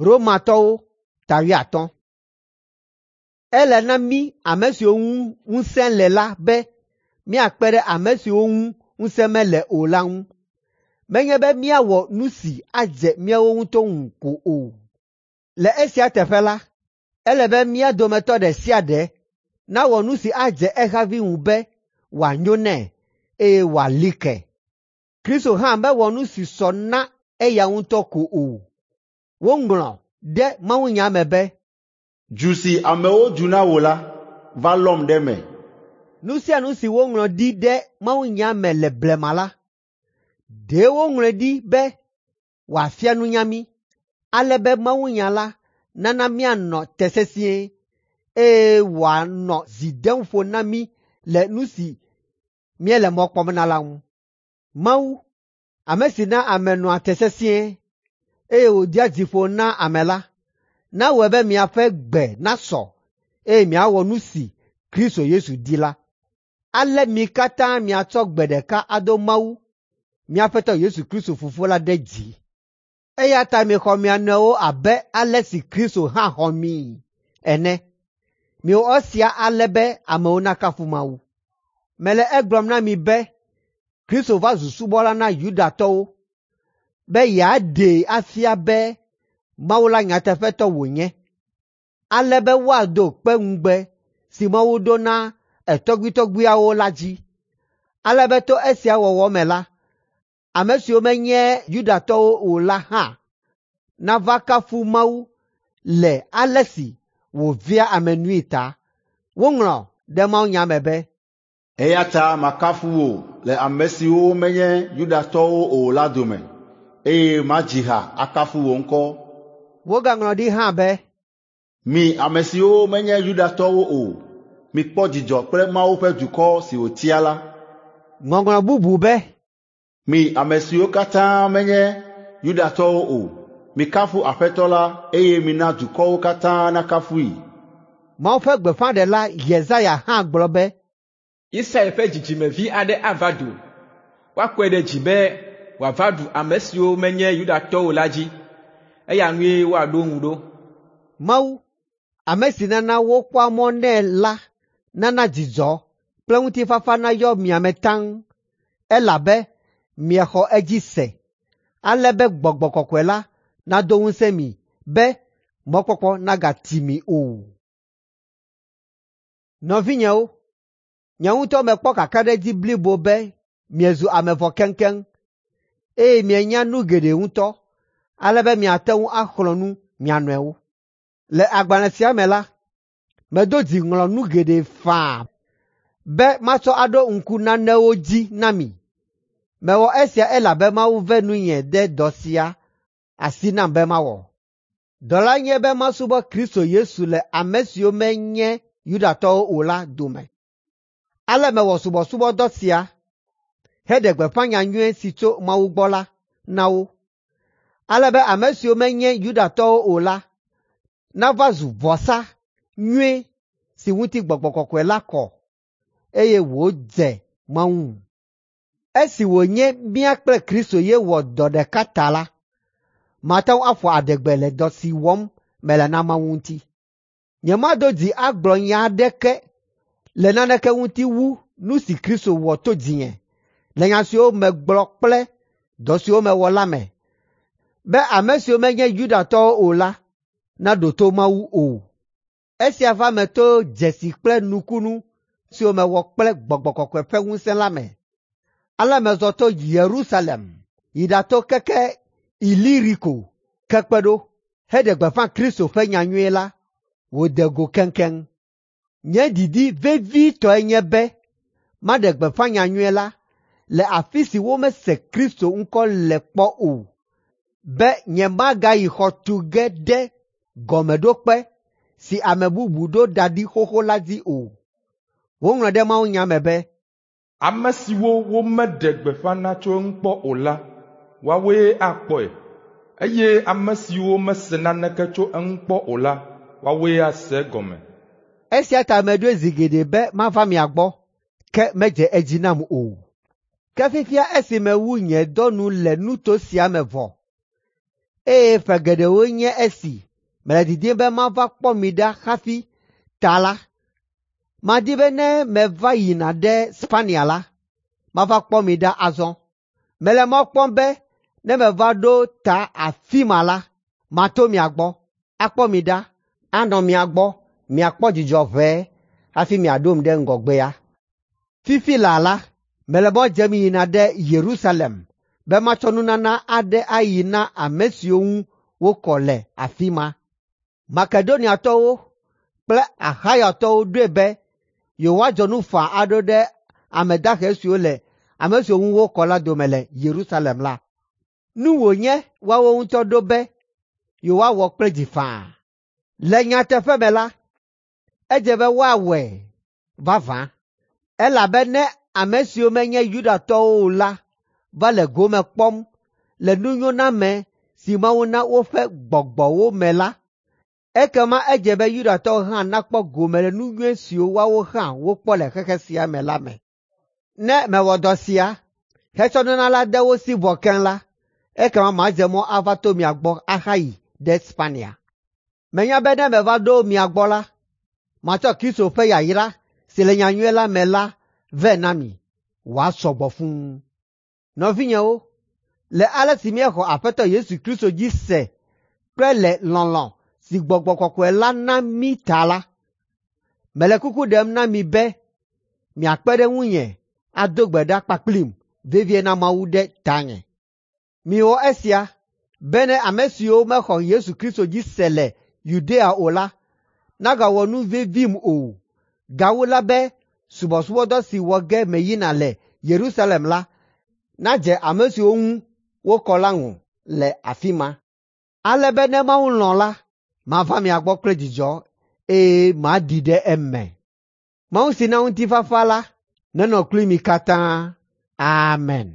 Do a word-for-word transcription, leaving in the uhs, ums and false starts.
Romatɔwo ta wuiatɔ̃. Ele na mí ame siwo ŋu ŋusẽ le la be míakpe ɖe ame siwo ŋu ŋusẽ mele o la ŋu. Menye be míawɔ nu si adze míawo ŋutɔ ŋu ko o. Le esia teƒe la, ele be mía dometɔ ɖe sia ɖe nawɔ nu si adze ehavi ŋu be wòanyo nɛ, eye wòali ke. Kristo hã mewɔ nu si sɔ na eya ŋutɔ ko o. Woŋlɔ ɖe mawunya me be, “Du si amewo du na wò la, va lɔm ɖe eme.” Nu sia nu si woŋlɔ ɖi ɖe mawunya me le blema la, ɖe woŋlɔe ɖi be wòafia nunya mí, ale be mawunya la nana míanɔ te sesĩe, eye wòanɔ dzi dem ƒo na mí le nu si míele mɔ kpɔm na la ŋu. Mawu, ame si na ame nɔa te sesĩe, eye wòdea dzi ƒo na ame la, nawɔe be miaƒe gbe nasɔ, eye miawɔ nu si Kristo Yesu di la. Ale mi katã miatsɔ gbe ɖeka ado Mawu, mía Aƒetɔ Yesu Kristo Fofo la ɖe dzi. Eya ta mixɔ mia nɔewo abe ale si Kristo hã xɔ mii ene. Miwɔ esia ale be amewo nakafu Mawu. Mele egblɔm na mi be Kristo va zu subɔla na Yudatɔwo be yeaɖee afia be Mawu la nyateƒetɔ wònye, ale be woado kpe ŋugbe si Mawu ɖo na etɔgbuitɔgbuiawo la dzi, ale be to esia wɔwɔ me la, ame siwo menye Yudatɔwo o la hã nava kafu Mawu le ale si wòvea ame nui ta. Woŋlɔ ɖe mawunya me be, “Eya ta makafu wò le ame siwo menye Yudatɔwo o la dome, eye madzi ha akafu wò ŋkɔ.” Wogaŋlɔ ɖi hã be, “Mi ame siwo menye Yudatɔwo o, mikpɔ dzidzɔ kple Mawu ƒe dukɔ si wòtia la.” Ŋɔŋlɔ bubu be, “Mi ame siwo katã menye Yudatɔwo o, mikafu Aƒetɔ la eye mina dukɔwo katã nakafui.” Mawu ƒe gbeƒãɖela Yesaya hã gblɔ be, “Isai ƒe dzidzimevi aɖe ava do, woakɔe ɖe dzi be wòava ɖu ame siwo menye Yudatɔwo o la dzi, eya ŋue woaɖo ŋu ɖo.” Mawu, ame si nana wokpɔa mɔ nɛ la nana dzidzɔ kple ŋutifafa nayɔ mia me taŋ, elabe miexɔ edzi se, ale be Gbɔgbɔ Kɔkɔe la nado ŋusẽ mi be mɔkpɔkpɔ nagati mi o. Nɔvinyewo, nye ŋutɔ mekpɔ kakaɖedzi blibo be miezu ame vɔ keŋkeŋ, eye mienya nu geɖe ŋutɔ, ale be miate ŋu axlɔ̃ nu mia nɔewo. Le agbalẽ sia me la, medo dzi ŋlɔ nu geɖe faa be matsɔ aɖo ŋku nanewo dzi na mi. Mewɔ esia elabe Mawu ve nunye de dɔ sia asi nam be mawɔ. Dɔ la nye be masubɔ Kristo Yesu le ame siwo menye Yudatɔwo o la dome. Ale mewɔ subɔsubɔdɔ sia heɖe gbeƒã nyanyui si tso Mawu gbɔ la na wo, ale be ame siwo menye Yudatɔwo o la nava zu vɔsa nyui si ŋuti Gbɔgbɔ Kɔkɔe la kɔ, eye wòdze Mawu ŋu. Esi wònye mía kple Kristo ye wɔ dɔ ɖeka ta la, mate ŋu aƒo adegbe le dɔ si wɔm mele na Mawu ŋuti. Nyemado dzi agblɔ nya aɖeke le naneke ŋuti wu nu si Kristo wɔ to dzinye le nya siwo megblɔ kple dɔ siwo mewɔ la me, be ame siwo menye Yudatɔwo o la naɖo to Mawu o. Esia va eme to dzesi kple nukunu siwo mewɔ kple Gbɔgbɔ Kɔkɔe ƒe ŋusẽ la me. Ale mezɔ to Yerusalem yi ɖato keke Iliriko ke kpe ɖo heɖe gbeƒã Kristo ƒe nyanyui la wòde go keŋkeŋ. Nye didi vevitɔe nye be maɖe gbeƒã nyanyui la le afi si womese Kristo ŋkɔ le kpɔ o, be nyemagayi xɔ tu ge ɖe gɔmeɖokpe si ame bubu ɖo da ɖi xoxo la dzi o. Woŋlɔ ɖe mawunya me be, “Ame siwo womeɖe gbeƒã na tso eŋu kpɔ o la, woawoe akpɔe, eye ame siwo mese naneke tso eŋu kpɔ o la, woawoe ase egɔme.” Esia ta meɖoe zi geɖe be mava mia gbɔ, ke medze edzi nam o. Ke fifia esi mewu nye dɔ nu le nuto sia me vɔ, eye ƒe geɖewoe nye esi mele didim be mava kpɔ mi ɖa hafi ta la, madi be ne meva yina ɖe Spania la, mava kpɔ mi ɖa azɔ. Mele mɔ kpɔm be ne meva ɖo ta afi ma la, mato mia gbɔ, akpɔ mi ɖa, anɔ mia gbɔ, miakpɔ dzidzɔ ʋɛe hafi miaɖom ɖe ŋgɔgbea. Fifi laa la, mele mɔ dzem yina ɖe Yerusalem be matsɔ nunana aɖe ayi na ame siwo ŋu wokɔ le afi ma. Makedoniatɔwo kple Axayatɔwo ɖoe be yewoadzɔ nu faa aɖo ɖe ame dahe siwo le ame siwo ŋu wokɔ la dome le Yerusalem la. Nu wònye woawo ŋutɔ ɖo be yewoawɔ kple dzi faa. Le nyateƒe me la, edze be woawɔe vavã, elabe ne ame siwo menye Yudatɔwo o la va le gome kpɔm le nunyoname si Mawu na woƒe gbɔgbɔwo me la, ekema edze be Yudatɔwo hã nakpɔ gome le nu nyui siwo woawo hã wokpɔ le xexe sia me la me. Ne mewɔ dɔ sia, hetsɔ nunana la de wo si vɔ keŋ la, ekema madze mɔ ava to mia gbɔ ahayi ɖe Spania. Menya be ne meva ɖo mia gbɔ la, matsɔ Kristo ƒe yayra si le nyanyui la me la vɛ na mi wòasɔ gbɔ fũu. Nɔvinyewo, le ale si míexɔ Aƒetɔ Yesu Kristo dzi se kple le lɔlɔ̃ si Gbɔgbɔ Kɔkɔe la na mí ta la, mele kuku ɖem na mi be miakpe ɖe ŋunye ado gbe ɖa kpakplim vevie na Mawu ɖe tanye. Miwɔ esia bene ame siwo mexɔ Yesu Kristo dzi se le Yudea o la nagawɔ nu vevim o. Gawu la be subɔsubɔdɔ si wɔ ge meyina le Yerusalem la nadze ame siwo ŋu wokɔ la ŋu le afi ma. Ale be ne Mawu lɔ̃ la, mava mia gbɔ kple dzidzɔ eye maɖi ɖe eme. Mawu si na ŋutifafa la nenɔ kpli mi katã. Amen.